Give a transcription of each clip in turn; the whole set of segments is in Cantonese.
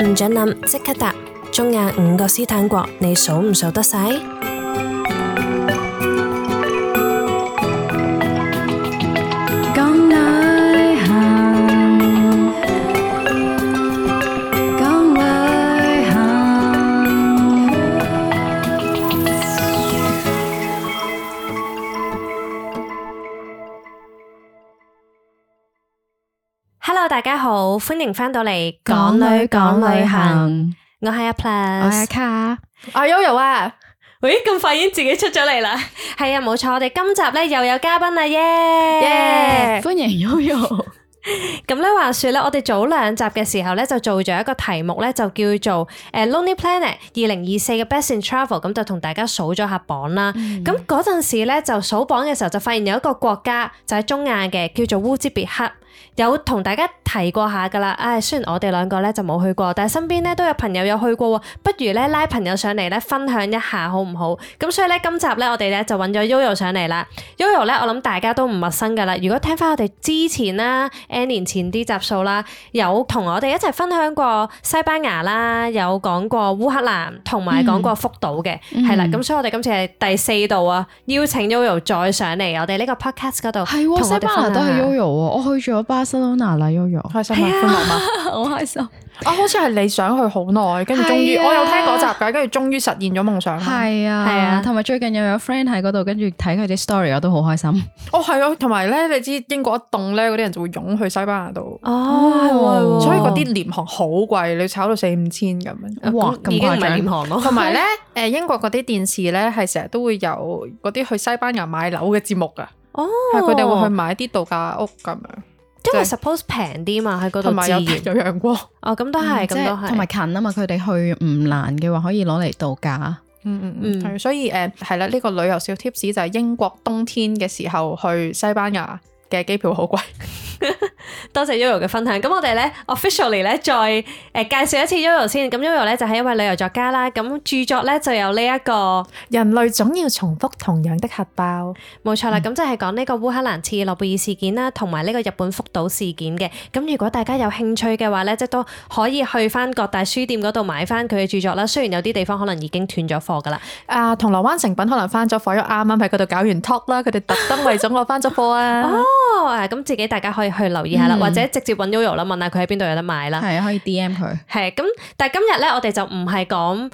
唔准諗，即刻答。中亞5個斯坦國，你數唔數得晒？講旅行，講旅行。Hello， 大家好，歡迎返到嚟講旅行。我係阿我係 Plus，阿卡，阿 Yoyo 啊，喂，咁快已經自己出咗嚟啦。係啊，冇錯，我哋今集咧又有嘉賓啦，耶！歡迎 Yoyo。咁咧話說咧，我哋早2集嘅時候咧就做咗一個題目咧，就叫做Lonely Planet 2024嘅 Best in Travel， 咁就同大家數咗下榜啦。咁嗰陣時咧就數榜嘅時候就發現有一個國家就喺中亞嘅，叫做烏茲別克。有同大家提過下噶啦，雖然我哋2個咧就冇去過，但係身邊咧都有朋友有去過喎，不如咧拉朋友上嚟咧分享一下好唔好？咁所以咧今集咧我哋咧就揾咗 Yoyo 上嚟啦。Yoyo 咧我諗大家都唔陌生噶啦，如果聽翻我哋之前啦 N 年前啲集數啦，有同我哋一齊分享過西班牙啦，有講過烏克蘭，同埋講過福島嘅，係啦。咁所以我哋今次係第4度啊，邀請 Yoyo 再上嚟我哋呢個 podcast 嗰度，係喎，西班牙都係 Yoyo 喎，我去咗巴塞羅那啦 Yoyo， 開心啊，歡樂嘛，好開心。好似係你想去好耐，跟住終於，我有聽嗰集㗎，跟住終於實現咗夢想。係啊，同埋最近又有 friend 喺嗰度，跟住睇佢啲 story，我都好開心。係啊，同埋咧，你知英國一凍咧，嗰啲人就會湧去西班牙度。所以嗰啲廉航好貴，你炒到4-5千咁樣。哇，已經唔係廉航咯。同埋咧，英國嗰啲電視咧係成日都會有嗰啲去西班牙買樓嘅節目㗎。係佢哋會去買啲度假屋咁樣。因為 suppose 平啲嘛，喺嗰度同埋有自然有陽光。咁都係，咁都係，同埋近啊嘛，佢哋去唔難嘅話，可以攞嚟度假。係，所以係啦，呢個旅遊小 tips 就係英國冬天嘅時候去西班牙嘅機票好貴。多謝 Yoyo 嘅分享。咁我哋咧 officially 咧再介紹一次 Yoyo 先。咁 Yoyo 咧就係一位旅遊作家啦。咁著作咧就有呢一個人類總要重複同樣的核爆，冇錯啦。咁就係講呢個烏克蘭切爾諾貝爾事件啦，同埋呢個日本福島事件嘅。咁如果大家有興趣嘅話咧，即都可以去翻各大書店嗰度買翻佢嘅著作啦。雖然有啲地方可能已經斷咗貨噶啦。銅鑼灣誠品可能翻咗貨，因為啱啱喺嗰度搞完 talk 啦，佢哋特登為咗我翻咗貨啊。咁自己大家可以去留意下啦，或者直接揾 Yoyo 啦，問下佢喺邊度有得買啦。係啊，可以 DM 佢。係咁，但係今日咧，我哋就唔係講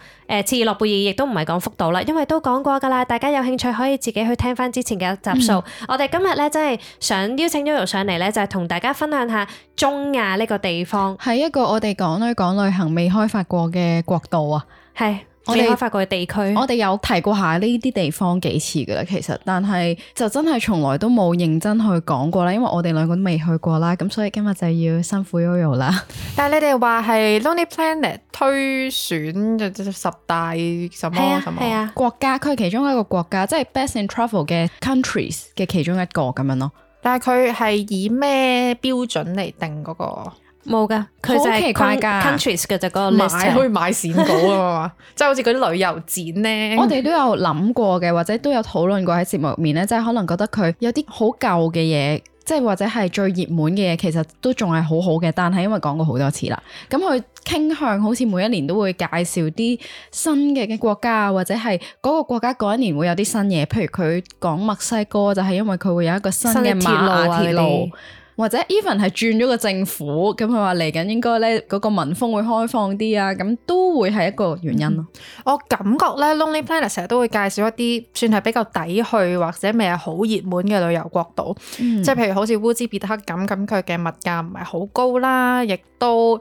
切爾諾貝爾，亦都唔係講福島啦，因為都講過噶啦。大家有興趣可以自己去聽翻之前嘅集數。我哋今日咧真係想邀請 Yoyo 上嚟咧，就係同大家分享下中亞呢個地方，係一個我哋講旅行未開發過嘅國度啊。係未開發過嘅地區。我哋有提過下呢啲地方幾次噶啦，其實，但係就真係從來都冇認真去講過啦，因為我哋2個都未去過啦，咁所以今日就要辛苦 Yoyo 啦。但係你哋話係 Lonely Planet 推選就10大什麼什麼？係啊，國家，佢係其中一個國家，即係 Best in Travel 嘅 countries 嘅其中一個咁樣咯。但係佢係以咩標準嚟定嗰個？冇噶，佢就係 countries 嘅就嗰個 list， 可以買線稿啊嘛，即係好似嗰啲旅遊展咧。我哋都有諗過嘅，或者都有討論過喺節目入面咧，即係可能覺得佢有啲好舊嘅嘢，即係或者係最熱門嘅嘢，其實都仲係好好嘅，但係因為講過好多次啦，咁佢傾向好似每一年都會介紹啲新嘅國家，或者係嗰個國家嗰一年會有啲新嘢，譬如佢講墨西哥就係因為佢會有一個新嘅鐵路。或者 even 係轉咗個政府，咁佢話嚟緊應該咧嗰個民風會開放啲啊，咁都會係一個原因咯。我感覺咧 Lonely Planet 成日都會介紹一啲算係比較抵去或者未係好熱門嘅旅遊國度，即係譬如好似烏茲別克咁佢嘅物價唔係好高啦，亦都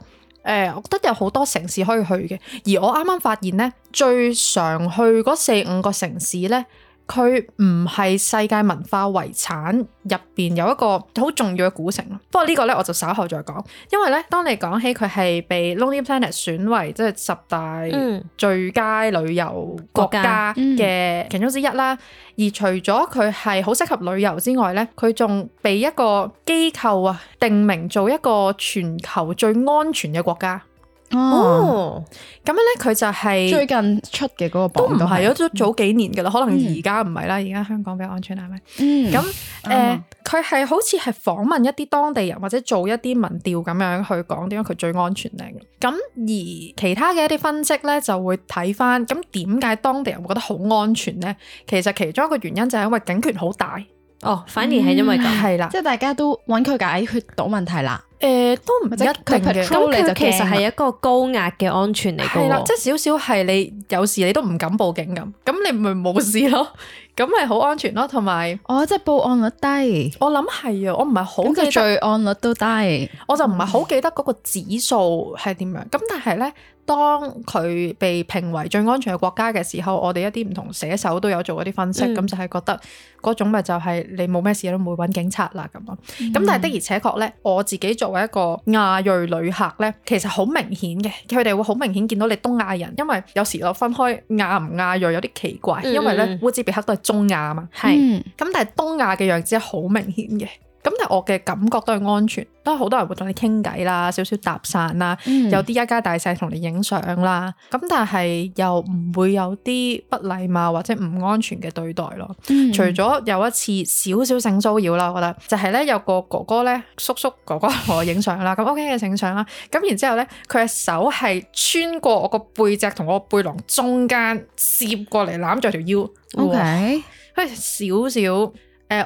我覺得有好多城市可以去嘅。而我啱啱發現咧，最常去嗰4-5個城市咧，佢唔係世界文化遺產入邊有一個好重要嘅古城。不過呢個咧我就稍後再講，因為咧當你講起佢係被 Lonely Planet 選為即係10大最佳旅遊國家嘅其中之一啦。而除咗佢係好適合旅遊之外咧，佢仲被一個機構定名做一個全球最安全嘅國家。哦，咁樣咧佢就係、最近出嘅嗰個都唔榜係，都早幾年噶啦，可能而家唔係啦，而家香港比較安全係咪？咁佢係好似係訪問一啲當地人或者做一啲民調咁樣去講點解佢最安全咧。咁而其他嘅一啲分析咧就會睇翻，咁點解當地人會覺得好安全咧？其實其中一個原因就係因為警權好大。哦，反而係因為咁，係啦，即係大家都揾佢解決到問題啦。都唔一定嘅。咁佢其實係一個高壓嘅安全嚟嘅。係啦，即係少少係你有時你都唔敢報警咁你咪冇事咯，咁咪好安全咯。同埋即係報案率低，我諗係啊，我唔係好記得，咁罪案率都低，我就唔係好記得嗰個指數係點樣。咁但係咧，當佢被評為最安全嘅國家嘅時候，我哋一啲唔同寫手都有做一啲分析，咁就係覺得嗰種咪就係你冇咩事都唔會揾警察啦咁咯。咁但係的而且確咧，我自己作為一個亞裔旅客咧，其實好明顯嘅，佢哋會好明顯見到你東亞人，因為有時我分開亞唔亞裔有啲奇怪，因為咧烏茲別克都係中亞啊嘛，係咁但係東亞嘅樣子係好明顯嘅。咁但係我嘅感覺都係安全，都係好多人會同你傾偈啦，少少搭訕啦，有啲一家大細同你影相啦。咁但係又唔會有啲不禮貌或者唔安全嘅對待咯。除咗有一次少少性騷擾啦，我覺得就係咧有個哥哥咧，叔叔哥哥同我影相啦，咁 OK 嘅影相啦。咁然之後咧，佢嘅手係穿過我個背脊同我背囊中間攝過嚟攬住條腰。OK，少少。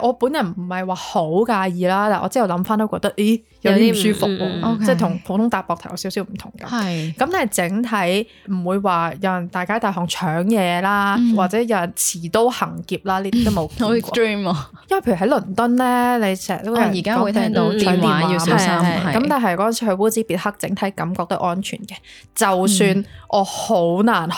我本人唔係話好介意啦，但我之後諗翻都覺得，咦有啲唔舒服喎，即係同普通搭膊頭有少少唔同咁。係咁，但係整體唔會話有人大街大巷搶嘢啦，或者有人持刀行劫啦，呢啲都冇見過。好 extreme 啊！因為譬如喺倫敦咧，你成日都而家會聽到電話要小心。咁但係嗰陣時去烏茲別克，整體感覺都安全嘅。就算我好難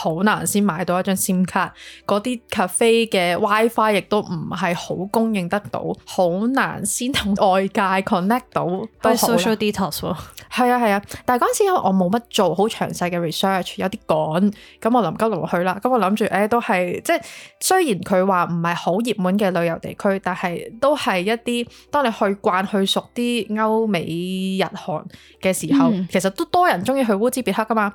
先買到一張 SIM 卡，嗰啲 cafe 嘅 WiFi 亦都唔係好供應得到，好難先同外界 connect 到。都 social detox 喎。係啊，但係嗰陣時因為我冇乜做好詳細嘅 research， 有啲趕，咁我臨急臨去啦。咁我諗住都係即係雖然佢話唔係好熱門嘅旅遊地區，但係都係一啲當你去慣去熟啲歐美日韓嘅時候，其實都多人中意去烏茲別克噶嘛。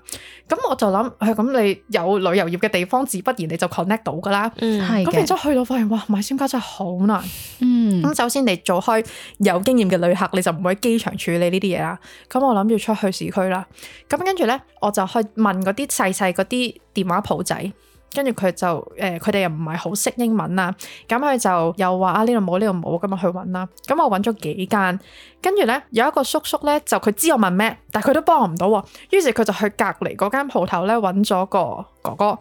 咁我就諗咁你有旅遊業嘅地方，自不然你就 connect 到噶啦。咁然之後去到發現哇，買 SIM 卡真係好難。咁首先你做開有經驗嘅旅客，你就唔會喺機場處理呢啲嘢啦。咁我諗住出去市區啦。咁跟住咧，我就去問嗰啲細嗰啲電話鋪仔。跟住佢就佢哋又唔係好識英文啊，咁佢就又話呢度冇，咁我去揾啦。咁我揾咗幾間，跟住咧有一個叔叔咧，就佢知我問咩，但係佢都幫我唔到喎。於是佢就去隔離嗰間鋪頭咧揾咗個哥哥。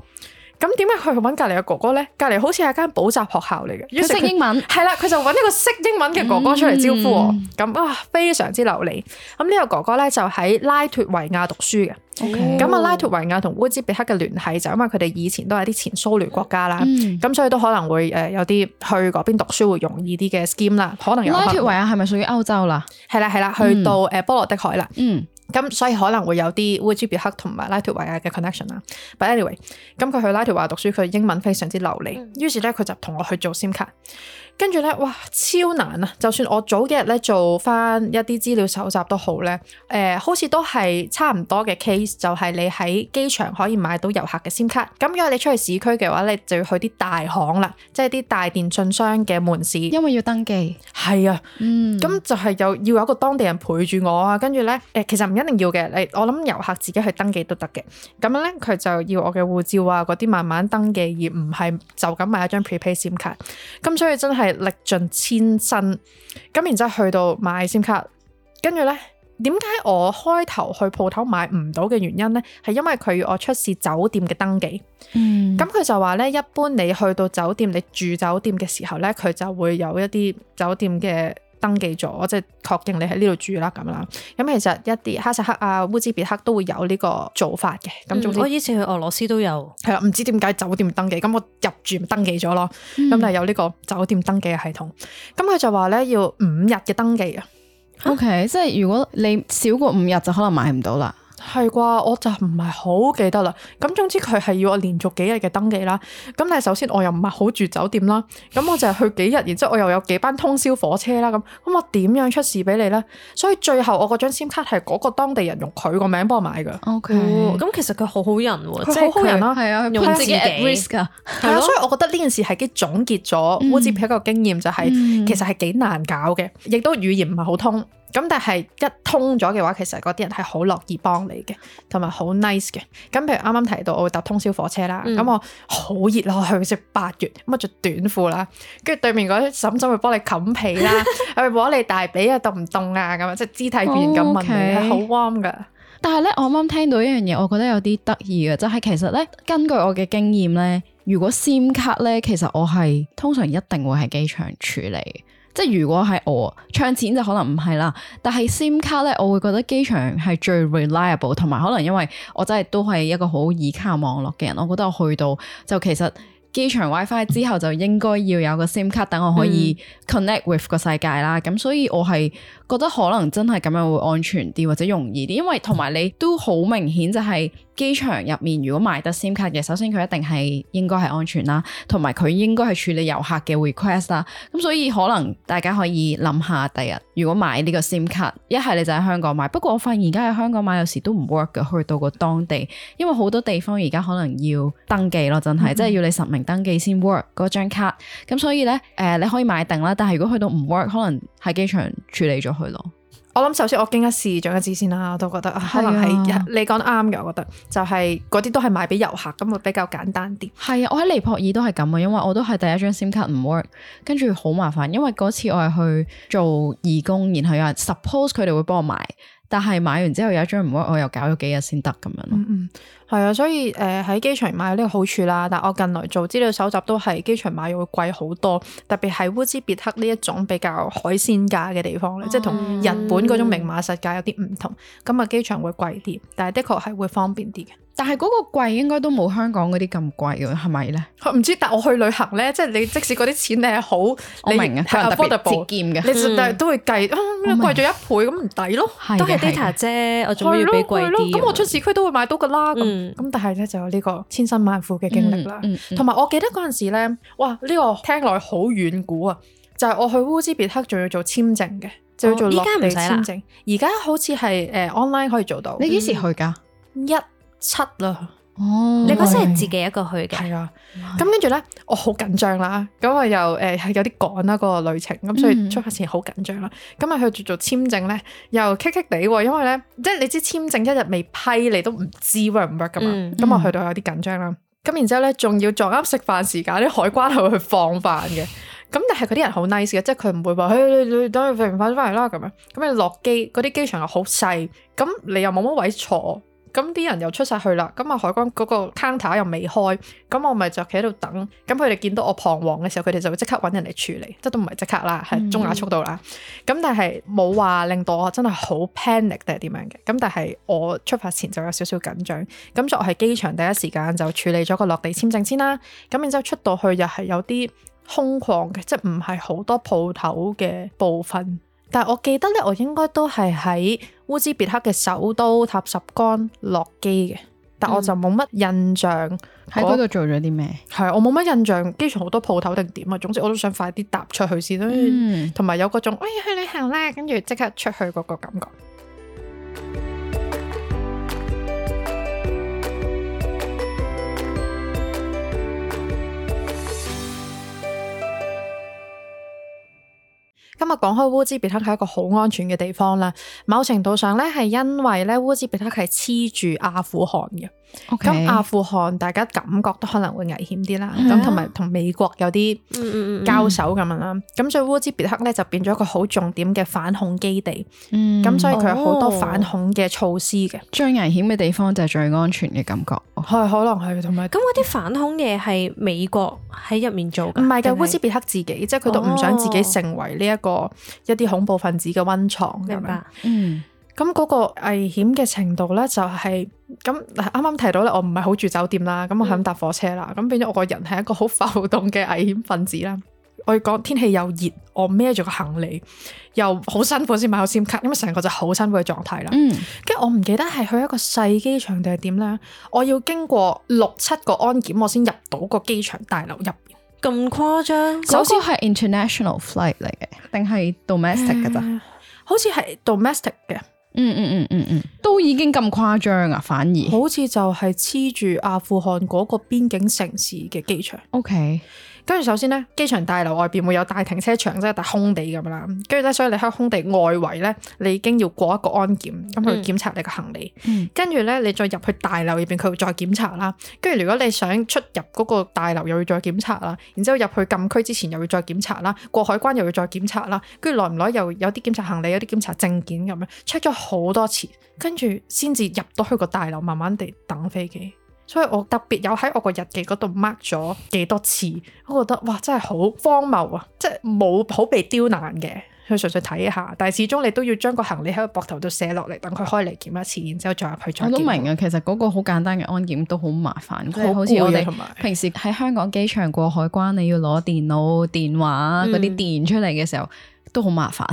咁點解佢去揾隔離嘅哥哥咧？隔離好似係間補習學校嚟嘅，佢識英文係啦，佢就揾呢個識英文嘅哥哥出嚟招呼我。咁非常之流利。咁呢個哥哥咧就喺拉脫維亞讀書嘅。咁拉脫維亞同烏茲別克嘅聯繫就因為佢哋以前都係啲前蘇聯國家啦，咁所以都可能會有啲去嗰邊讀書會容易啲嘅 scheme 啦，可能有。拉脫維亞係咪屬於歐洲啦？係啦，去到波羅的海啦。咁所以可能會有啲烏茲別克同埋拉脫維亞嘅 connection 啦。But anyway，咁佢去拉脫維亞讀書，佢英文非常之流利，於是咧佢就同我去做 SIM 卡。跟住咧，哇，超難啊！就算我早幾日咧做翻一啲資料搜集都好咧，好似都係差唔多嘅 case，就係你喺機場可以買到遊客嘅 SIM 卡。咁如果你出去市區嘅話，你就要去啲大行啦，即係啲大電信商嘅門市，因為要登記。係啊，咁就係要有一個當地人陪住我啊。跟住咧，其實唔一定要嘅，我諗遊客自己去登記都得嘅。咁樣咧，佢就要我嘅護照啊嗰啲慢慢登記，而唔係就咁買一張 prepaid SIM 卡。咁所以真係歷盡千辛，咁然之後去到買 SIM 卡，跟住咧，點解我開頭去鋪頭買唔到嘅原因咧？係因為佢要我出示酒店嘅登記。咁佢就話咧，一般你去到酒店，你住酒店嘅時候咧，佢就會有一啲酒店嘅登記咗，即係確認你喺呢度住啦咁啦。咁其實一啲哈薩克啊、烏茲別克都會有呢個做法嘅。咁總之我以前去俄羅斯都有。係啦，唔知點解酒店登記，咁我入住登記咗咯。咁但係有呢個酒店登記嘅系統。咁佢就話咧，要5日嘅登記啊。OK，即係如果你少過5日就可能買唔到啦。係啩，我就唔係好記得啦。咁總之佢係要我連續幾日嘅登記啦。咁但係首先我又唔係好住酒店啦，咁我就係去幾日，然之後我又有幾班通宵火車啦。咁我點樣出示俾你咧？所以最後我嗰張 SIM 卡係嗰個當地人用佢個名幫我買㗎。OK，咁其實佢好好人喎，佢好好人啦，係啊，用自己 at risk 㗎。係啊，所以我覺得呢件事係幾總結咗烏茲別克個經驗，就係其實係幾難搞嘅，亦都語言唔係好通。咁但係一通咗嘅話，其實嗰啲人係好樂意幫你嘅，同埋好 nice 嘅。咁譬如啱啱提到我會搭通宵火車啦，咁我好熱咯，去即係8月，咁我着短褲啦，跟住對面嗰啲嬸嬸會幫你冚被啦，係咪摸你大髀啊，凍唔凍啊咁啊，即係肢體語言咁問你，係好 warm 噶。但係咧，我啱啱聽到一樣嘢，我覺得有啲得意嘅，就係其實咧，根據我嘅經驗咧，如果 SIM 卡咧，其實我係通常一定會喺機場處理。即係如果係我唱錢就可能唔係啦，但係 SIM 卡咧，我會覺得機場係最 reliable， 同埋可能因為我真係都係一個好倚靠網絡嘅人，我覺得我去到就其實機場 WiFi 之後就應該要有個 SIM 卡等我可以 connect with 個世界啦。咁所以我係覺得可能真係咁樣會安全啲或者容易啲，因為同埋你都好明顯就係機場入面如果買得 SIM 卡嘅，首先佢一定係應該係安全啦，同埋佢應該係處理遊客嘅 request 啦。咁所以可能大家可以諗下第日如果買呢個 SIM 卡，一係你就喺香港買。不過我發現而家喺香港買有時都唔 work 嘅，去到個當地，因為好多地方而家可能要登記咯，真係即係要你實名登記先 work 嗰張卡。咁所以咧你可以買定啦，但係如果去到唔 work，可能喺機場處理咗佢咯。我諗首先我經一事長一智先啦，我都覺得可能係你講得啱嘅，我覺得就係嗰啲都係賣俾遊客，咁會比較簡單啲。係啊，我喺尼泊爾都係咁啊，因為我都係第一張 SIM 卡唔 work， 跟住好麻煩，因為嗰次我係去做義工，然後有人 suppose 佢哋會幫我買，但係買完之後有一張唔 work，我又搞咗幾日先得咁樣咯。係啊，所以喺機場買有呢個好處啦，但我近來做資料搜集都係機場買會貴好多，特別係烏茲別克呢一種比較海鮮價嘅地方咧，即係同日本嗰種明碼實價有啲唔同，咁啊機場會貴啲，但係的確係會方便啲嘅。但係嗰個貴應該都冇香港嗰啲咁貴嘅，係咪咧？唔知，但我去旅行咧，即係你即使嗰啲錢你係好，我明啊，係特別節儉嘅，你但係都會計貴咗1倍咁唔抵咯，都係 data 啫，我做咩要俾貴啲？咁我出市區都會買到噶啦，咁但係咧就有呢個千辛萬苦嘅經歷啦。同埋我記得嗰陣時咧，哇呢個聽落好遠古啊，就係我去烏茲別克仲要做簽證嘅，就要做落地簽證。而家好似係online 可以做到。你幾時去㗎？17啦。哦，你嗰時係自己一個去嘅？係啊。咁跟住咧，我好緊張啦。咁我又係有啲趕啦嗰個旅程，咁所以出發前好緊張啦。咁啊去做簽證咧，又棘棘地喎，因為咧即係你知簽證一日未批，你都唔知 work 唔 work 噶嘛。咁我去到有啲緊張啦。咁然之後咧，仲要撞啱食飯時間，啲海關係會去放飯嘅。咁但係嗰啲人好 nice 嘅，即係佢唔會話，你等佢食完飯翻嚟啦咁樣。咁你落機，嗰啲機場又好細，咁你又冇乜位坐。咁啲人又出晒去啦，咁啊海關嗰個 counter 又未開，咁我咪就企喺度等，咁佢哋見到我彷徨嘅時候，佢哋就會即刻揾人嚟處理，即都唔係即刻啦，係中亞速度啦。咁但係冇話令到我真係好 panic 定係點樣嘅，咁但係我出發前就有少少緊張，咁所以我喺機場第一時間就處理咗個落地簽證先啦，咁然之後出到去又係有啲空曠嘅，即係唔係好多鋪頭嘅部分。但係我記得咧，我應該都係喺烏茲別克嘅首都塔什干落機嘅，但我就冇乜印象喺嗰度做咗啲咩。係我冇乜印象，機場好多鋪頭定點啊。總之我都想快啲踏出去先啦，同埋有嗰種去旅行啦，跟住即刻出去嗰個感覺。今日講開烏茲別克係一個好安全嘅地方啦，某程度上咧係因為咧烏茲別克係黐住阿富汗嘅，咁阿富汗大家感覺都可能會危險啲啦，咁同埋同美國有啲交手咁樣啦，咁所以烏茲別克咧就變咗一個好重點嘅反恐基地，咁所以佢有好多反恐嘅措施嘅。最危險嘅地方就係最安全嘅感覺，係可能係同埋咁嗰啲反恐嘢係美國喺入面做㗎？唔係嘅，烏茲別克自己，即係佢都唔想自己成為呢一啲恐怖分子嘅溫床。明白。咁嗰個危險嘅程度咧就係咁，啱啱提到咧，我唔係好住酒店啦，咁我係咁搭火車啦，咁變咗我個人係一個好浮動嘅危險分子啦。我要講天氣又熱，我孭住個行李又好辛苦先買到 SIM 卡，因為成個就好辛苦嘅狀態啦。跟住我唔記得係去一個細機場定係點咧，我要經過6-7個安檢，我先入到個機場大樓入邊。咁誇張？首先係 international flight 嚟嘅，定係 domestic 㗎咋？好似係 domestic 嘅。都已經咁誇張啊，反而好似就係黐住阿富汗嗰個邊境城市嘅機場。OK。跟住首先咧，機場大樓外邊會有大停車場，即係大空地咁啦。跟住咧，所以你喺空地外圍咧，你已經要過一個安檢，咁佢檢查你個行李。跟住咧，你再入去大樓入邊，佢會再檢查啦。跟住如果你想出入嗰個大樓，又要再檢查啦。然之後入去禁區之前，又要再檢查啦。過海關又要再檢查啦。跟住耐唔耐又有啲檢查行李，有啲檢查證件咁樣，check 咗好多次，跟住先至入到去個大樓，慢慢地等飛機。所以我特別有喺我個日記嗰度 mark 咗幾多次，我覺得哇真係好荒謬啊！即係冇好被刁難嘅，去純粹睇下，但係始終你都要將個行李喺個膊頭度寫落嚟，等佢開嚟檢一次，然之後再入去再檢。我都明啊，其實嗰個好簡單嘅安檢都好麻煩，即係好似我哋平時喺香港機場過海關，你要攞電腦、電話嗰啲電出嚟嘅時候。都好麻煩，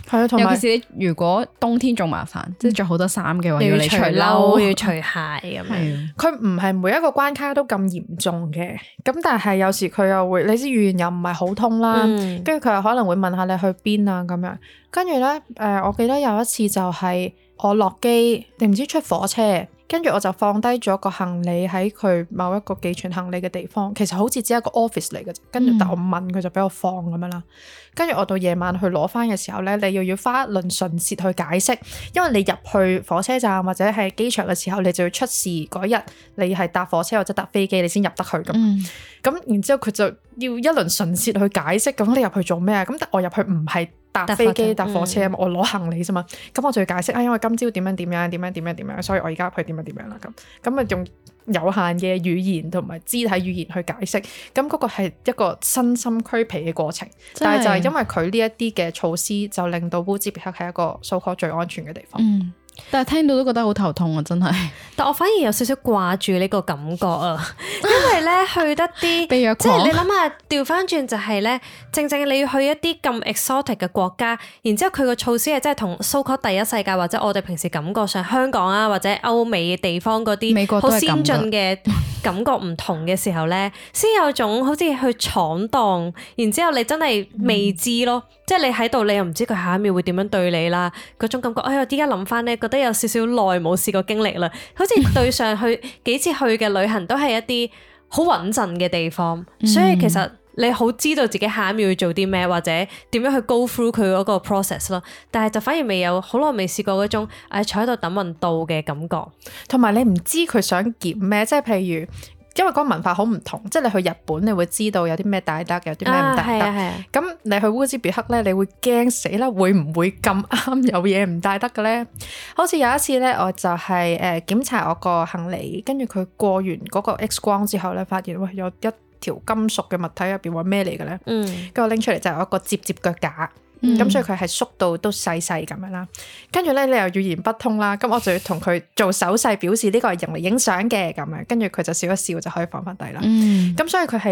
係啊，同埋尤其是你如果冬天仲麻煩，即係着好多衫嘅話，要你除褸，要除鞋咁樣。佢唔係每一個關卡都咁嚴重嘅，咁但係有時佢又會，你知語言又唔係好通啦，跟住佢又可能會問下你去邊啊咁樣。跟住咧，我記得有一次就係我落機定唔知出火車。跟住我就放低咗個行李喺佢某一個寄存行李嘅地方，其實好似只係一個 office 嚟嘅啫。跟住但我問佢就俾我放咁樣啦。跟住我到夜晚去攞翻嘅時候咧，你又要花一輪唇舌去解釋，因為你入去火車站或者係機場嘅時候，你就要出示嗰日你係搭火車或者搭飛機，你先入得去噶嘛。咁然之後佢就要一輪唇舌去解釋，咁你入去做咩啊？咁但我入去唔係搭飛機搭火車啊嘛，我攞行李啫嘛，咁我就要解釋啊，因為今朝點樣，所以我而家入去點樣啦咁啊用有限嘅語言同埋肢體語言去解釋，咁嗰個係一個身心俱疲嘅過程，但係就係因為佢呢一啲嘅措施，就令到烏茲別克係一個so called最安全嘅地方。但係聽到都覺得好頭痛啊，真係。但我反而有少少掛住呢個感覺啊，因為咧去得啲，即係你諗下調翻轉就係咧，正你要去一啲咁 exotic 嘅國家，然之後佢個措施係真係同so called第一世界或者我哋平時感覺上香港啊或者歐美嘅地方嗰啲好先進嘅感覺唔同嘅時候咧，先有種好似去闖蕩，然之後你真係未知咯。即係你喺度，你又唔知佢下一秒會點樣對你啦，嗰種感覺。哎呀，依家諗翻咧，覺得有少少耐冇試過經歷啦。好似對上去幾次去嘅旅行都係一啲好穩陣嘅地方，所以其實你好知道自己下一秒要做啲咩，或者點樣去 go through 佢嗰個 process 咯。但係就反而未有好耐未試過嗰種坐喺度等運到嘅感覺，同埋你唔知佢想檢咩，即係譬如。因為嗰個文化好唔同，即係你去日本，你會知道有啲咩帶得，有啲咩唔帶得。咁你去烏茲別克咧，你會驚死啦，會唔會咁啱有嘢唔帶得嘅咧？好似有一次咧，我就係檢查我個行李，跟住佢過完嗰個 X 光之後咧，發現有一條金屬嘅物體入邊，話咩嚟嘅咧？跟住我拎出嚟就係一個摺腳架。咁所以佢係縮到都細細咁樣啦，跟住咧你又語言不通啦，咁我就要同佢做手勢表示呢個係用嚟影相嘅咁樣，跟住佢就笑一笑就可以放翻低啦。咁所以佢係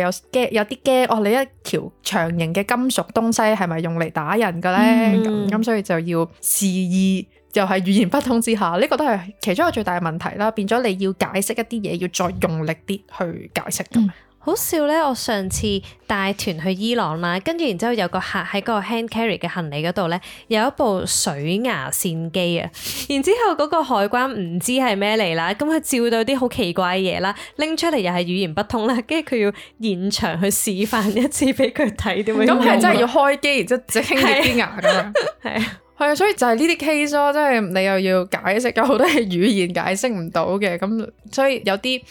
有啲驚，你一條長形嘅金屬東西係咪用嚟打人嘅咧？咁所以就要示意，又係語言不通之下，呢個都係其中一個最大嘅問題啦。變咗你要解釋一啲嘢，要再用力啲去解釋咁。好笑咧！我上次帶團去伊朗啦，跟住然之後有個客喺個 hand carry 嘅行李嗰度咧，有一部水牙線機啊，然之後嗰個海關唔知係咩嚟啦，咁佢照到啲好奇怪嘅嘢啦，拎出嚟又係語言不通啦，跟住佢要現場去示範一次俾佢睇點樣用。咁係真係要開機，然之後即清潔啲牙咁樣。係啊，所以就係呢啲 case 咯，即係你又要解釋，有好多係語言解釋唔到嘅，咁所以有啲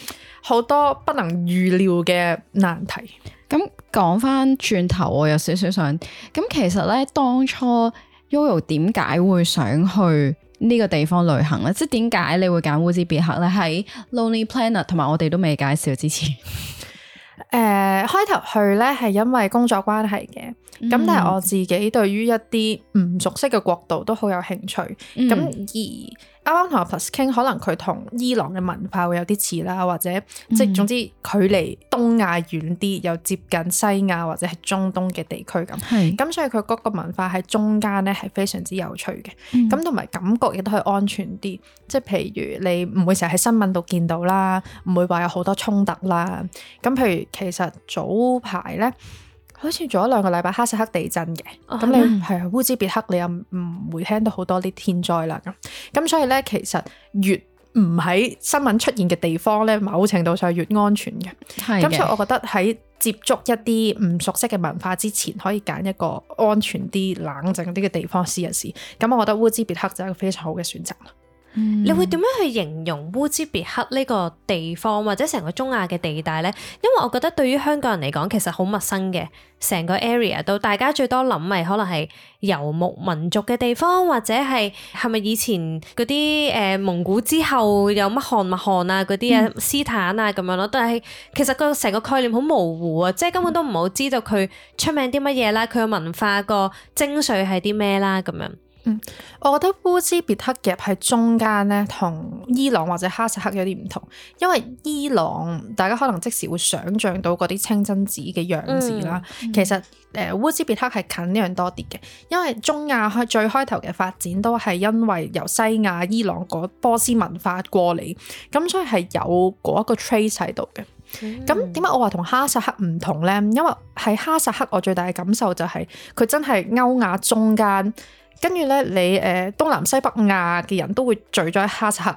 好多不能預料嘅難題。咁講翻轉頭，我有少少想，咁其實咧當初 Yoyo 點解會想去呢個地方旅行咧？即係點解你會揀烏茲別克咧？喺 Lonely Planet 同埋我哋都未介紹之前。開頭去咧係因為工作關係嘅，咁但係我自己對於一啲唔熟悉嘅國度都好有興趣。咁而啱啱同阿 Plus 傾，可能佢同伊朗嘅文化會有啲似啦，或者即係總之距離東亞遠啲，又接近西亞或者係中東嘅地區咁。咁所以佢嗰個文化喺中間咧係非常之有趣嘅。咁同埋感覺亦都係安全啲，即係譬如你唔會成日喺新聞度見到啦，唔會話有好多衝突啦。咁譬如其實早排咧，好似做咗2個禮拜哈薩克地震嘅，咁你係啊烏茲別克，你又唔會聽到好多啲天災啦。咁所以咧，其實越唔喺新聞出現嘅地方咧，某程度上越安全嘅。咁所以我覺得喺接觸一啲唔熟悉嘅文化之前，可以揀一個安全啲、冷靜啲嘅地方試一試。咁我覺得烏茲別克就係一個非常好嘅選擇。你會點樣去形容烏茲別克呢個地方或者成個中亞嘅地帶呢？因為我覺得對於香港人嚟講，其實好陌生嘅，成個 area 都大家最多諗咪可能係游牧民族嘅地方，或者係咪以前嗰啲蒙古之後有乜汗麥汗啊嗰啲啊斯坦啊咁樣咯。但係其實個成個概念好模糊啊，即係根本都唔好知道佢出名啲乜嘢啦，佢嘅文化個精髓係啲咩啦咁樣。我覺得烏茲別克夾喺中間咧，同伊朗或者哈薩克有啲唔同，因為伊朗大家可能即時會想像到嗰啲清真寺嘅樣子啦。其實烏茲別克係近呢樣多啲嘅，因為中亞最開頭嘅發展都係因為由西亞伊朗嗰波斯文化過嚟，咁所以係有嗰一個 trace 喺度嘅。咁點解我話同哈薩克唔同呢？因為喺哈薩克我最大嘅感受就係佢真係歐亞中間。跟住咧，你東南西北亞嘅人都會聚咗喺哈薩克，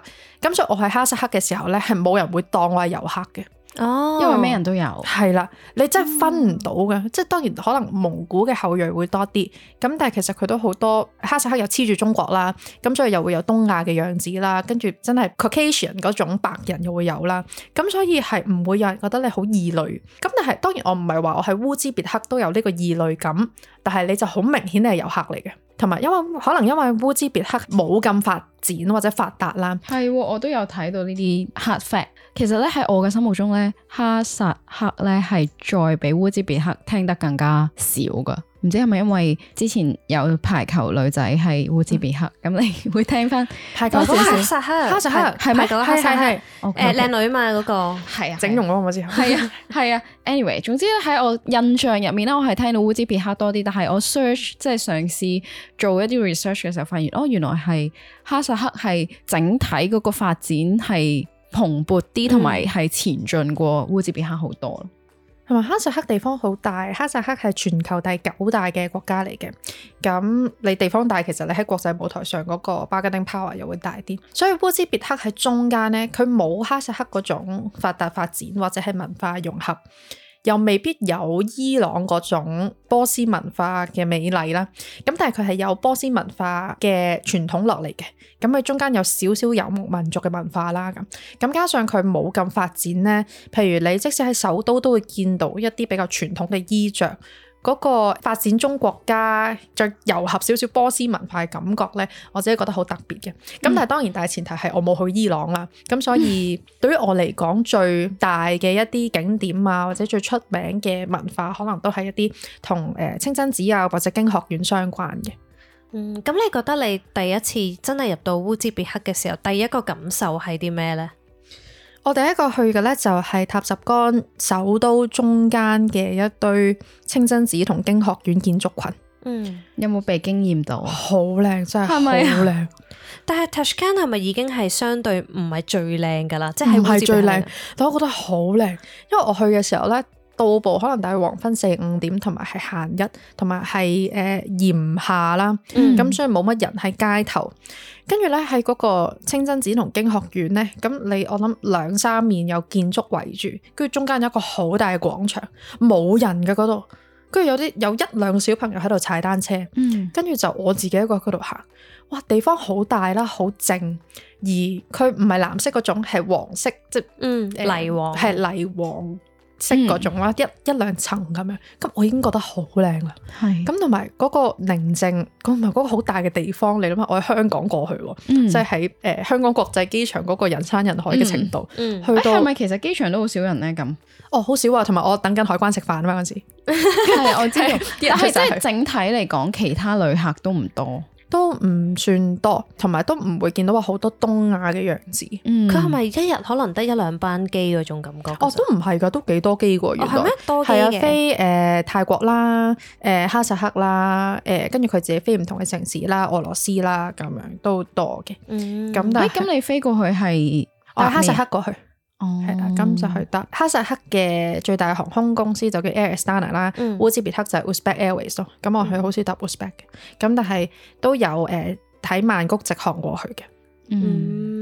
咁所以我喺哈薩克嘅時候咧，係冇人會當我係遊客嘅。哦，因為咩人都有。係啦，你真係分唔到嘅，即係當然可能蒙古嘅後裔會多啲，咁但係其實佢都好多哈薩克又黐住中國啦，咁所以又會有東亞嘅樣子啦，跟住真係 Caucasian 嗰種白人又會有啦，咁所以係唔會有人覺得你好異類。咁但係當然我唔係話我喺烏茲別克都有呢個異類感，但係你就好明顯你係遊客嚟嘅。同埋因為可能因為烏茲別克冇咁發展或者發達啦，係我都有睇到呢啲 hard fact。其實咧喺我嘅心目中咧，哈薩克咧係再比烏茲別克聽得更加少噶。唔知係咪因為之前有排球女仔係烏茲別克，咁你會聽翻排球哈薩克，哈薩克係咪哈薩克？係靚女嘛嗰個係啊，整容嗰個我知。係啊。Anyway， 總之咧喺我印象入面咧，我係聽到烏茲別克多啲，但係我 search 即係嘗試做一啲 research 嘅時候，發現原來係哈薩克係整體嗰個發展係蓬勃啲，同埋係前進過烏茲別克好多咯。同埋哈薩克地方好大，哈薩克係全球第9大嘅國家嚟嘅。咁你地方大，其實你喺國際舞台上嗰個 bargaining power 又會大啲。所以烏茲別克喺中間呢，佢冇哈薩克嗰種發達發展或者係文化融合，又未必有伊朗嗰種波斯文化嘅美麗啦。咁但係佢係有波斯文化嘅傳統落嚟嘅。咁佢中間有少少游牧民族嘅文化啦。咁加上佢冇咁發展呢，譬如你即使喺首都都會見到一啲比較傳統嘅衣着。嗰個發展中國家再糅合少少波斯文化嘅感覺呢，我自己覺得好特別嘅。咁但係當然大前提係我冇去伊朗啦。咁所以對於我嚟講，最大嘅一啲景點啊，或者最出名嘅文化，可能都係一啲同清真寺啊或者經學院相關嘅。咁你覺得你第一次真係入到烏茲別克嘅時候，第一個感受係啲咩呢？我第一個去嘅呢，就係塔什干首都中間嘅一堆清真寺同經學院建築群。有冇被驚豔到？好靚，真係好靚。但係 Tashkent 係咪已經係相對唔係最靚噶啦？即係唔係最靚，但我覺得好靚。因為我去嘅時候呢，到步可能大概黃昏4-5點，同埋係閒日，同埋係炎夏啦。咁所以冇乜人喺街頭。跟住咧喺嗰個清真寺同經學院咧，咁我諗2-3面有建築圍住，跟住中間有一個好大嘅廣場，冇人嘅嗰度，跟住有1-2小朋友喺度踩單車，跟住就我自己一個喺嗰度行，哇！地方好大啦，好靜，而佢唔係藍色嗰種，係黃色，即係泥黃，係泥黃式嗰種啦，一兩層咁樣，咁我已經覺得好靚啦。係咁同埋嗰個寧靜，同埋嗰個好大嘅地方，你諗下，我喺香港過去喎，即係喺香港國際機場嗰個人山人海嘅程度，去到係咪其實機場都好少人咧咁？哦，好少啊，同埋我等緊海關食飯啊嘛嗰陣時，係我知道，但係即係係整體嚟講，其他旅客都唔多。都唔算多，同埋都唔會見到話好多東亞嘅樣子。佢佢係咪一日可能得一兩班機嗰種感覺？哦，都唔係㗎，都幾多機喎，原來。係咩？多機係啊，嘅。飛泰國啦，哈薩克啦，跟住佢自己飛唔同嘅城市啦，俄羅斯啦，咁樣都多嘅。咁但係咁你飛過去係我喺哈薩克過去。哦，係啦，咁就去搭哈薩克嘅最大航空公司就叫 Air Astana 啦，烏茲別克就係 Uzbek Airways 咯。咁我去好少搭 Uzbek 嘅，咁但係都有喺曼谷直航過去嘅。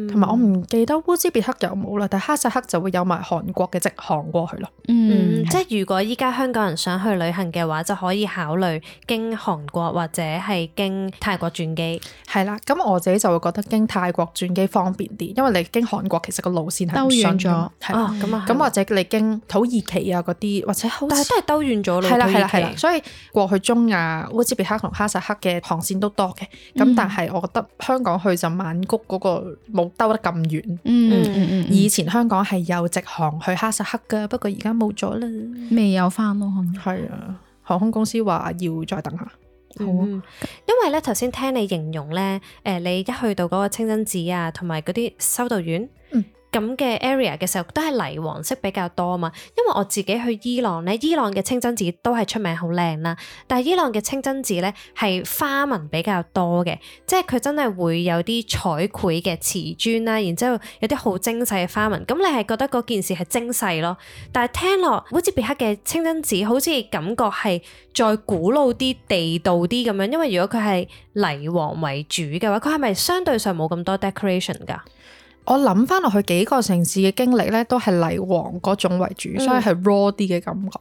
同埋我唔記得烏茲別克有冇啦，但係哈薩克就會有埋韓國嘅直航過去咯。即係如果依家香港人想去旅行嘅話，就可以考慮經韓國或者係經泰國轉機。係啦，咁我自己就會覺得經泰國轉機方便啲，因為你經韓國其實個路線係兜遠咗，係啦，咁或者你經土耳其啊嗰啲，或者好但係都係兜遠咗咯。係啦係啦土耳其係啦，所以過去中亞烏茲別克同哈薩克嘅航線都多嘅，咁但係我覺得香港去就曼谷嗰個冇兜得咁遠。以前香港係有直航去哈薩克噶，不過而家冇咗啦。未有翻咯，係啊，航空公司話要再等下。好啊，因為咧頭先聽你形容咧，你一去到嗰個清真寺啊，同埋嗰啲修道院，咁嘅 area 嘅時候，都係泥黃色比較多啊嘛。因為我自己去伊朗咧，伊朗嘅清真寺都係出名好靚啦，但係伊朗嘅清真寺咧係花紋比較多嘅，即係佢真係會有啲彩繪嘅瓷磚啦，然之後有啲好精細嘅花紋，咁你係覺得嗰件事係精細咯。但係聽落烏茲別克嘅清真寺好似感覺係再古老啲、地道啲咁樣，因為如果佢係泥黃為主嘅話，佢係咪相對上冇咁多 decoration 㗎？我諗翻落去幾個城市嘅經歷咧，都係泥黃嗰種為主，所以係 raw 啲嘅感覺。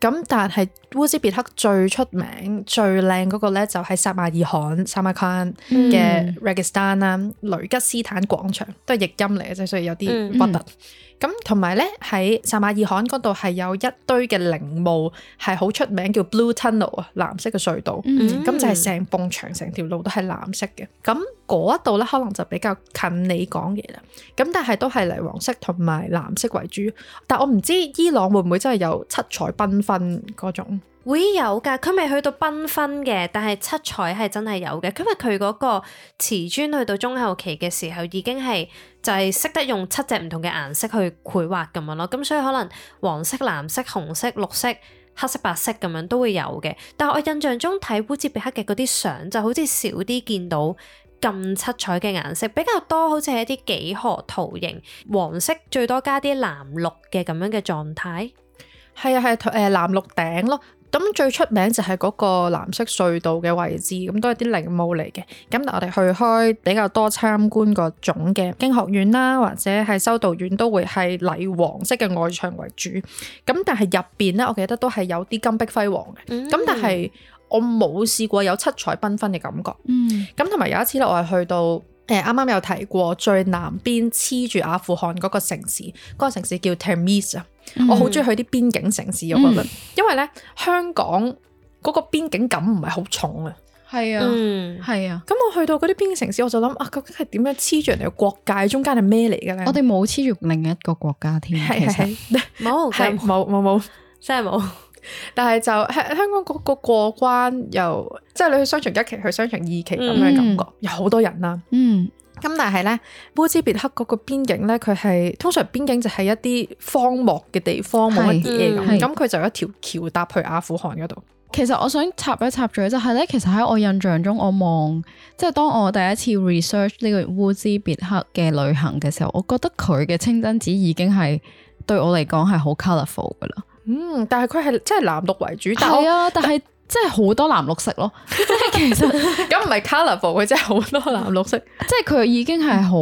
咁但係烏茲別克最出名、最靚嗰個咧，就係撒馬爾罕 Samarkand 嘅 Registan 啦，雷吉斯坦廣場都係譯音嚟嘅啫，所以有啲核突。咁同埋咧喺撒馬爾罕嗰度係有一堆嘅陵墓係好出名，叫 Blue Tunnel 啊，藍色嘅隧道。咁就係成埲牆、成條路都係藍色嘅。咁嗰一度咧可能就比較近你講嘢啦。咁但係都係泥黃色同埋藍色為主。但我唔知伊朗會唔會真係有七彩繽紛嗰種。會有㗎，佢未去到繽紛嘅，但係七彩係真係有嘅。因為佢嗰個瓷磚去到中後期嘅時候，已經係就係識得用7隻唔同嘅顏色去繪畫咁樣咯。咁所以可能黃色、藍色、紅色、綠色、黑色、白色咁樣都會有嘅。但係我印象中睇烏茲別克嘅嗰啲相，就好似少啲見到咁七彩嘅顏色，比較多好似係一啲幾何圖形，黃色最多加啲藍綠嘅咁樣嘅狀態。係啊係藍綠頂咯。咁最出名就係嗰個藍色隧道嘅位置，咁都係啲陵墓嚟嘅。咁我哋去開比較多參觀嗰種嘅經學院啦，或者係修道院，都會係泥黃色嘅外牆為主。咁但係入邊咧，我記得都係有啲金碧輝煌嘅。咁但係我冇試過有七彩繽紛嘅感覺。咁同埋有一次咧，我係去到啱啱有提過最南邊黐住阿富汗嗰個城市，嗰個城市叫 Tabriz 啊。我好中意去啲邊境城市，我覺得，因為咧香港嗰個邊境感唔係好重啊。係啊，係啊。咁我去到嗰啲邊境城市，我就諗啊，究竟係點樣黐住人哋嘅國界中間係咩嚟嘅咧？我哋冇黐住另一個國家添，其實冇，冇，真係冇。但係就香港嗰個過關又即係你去商場一期去商場二期咁樣感覺，有好多人啦。咁但係咧，烏茲別克嗰個邊境咧，佢係通常邊境就係一啲荒漠嘅地方，冇乜嘢咁。咁佢就有一條橋搭去阿富汗嗰度。其實我想插一插嘴就係咧，其實喺我印象中，我望即係當我第一次 research 呢個烏茲別克嘅旅行嘅時候，我覺得佢嘅清真寺已經係對我嚟講係好 colourful 噶啦。但係佢係真係藍綠為主。係啊，但係真係好多藍綠色咯。即係其實咁唔係 colourful，佢真係好多藍綠色。即係佢已經係好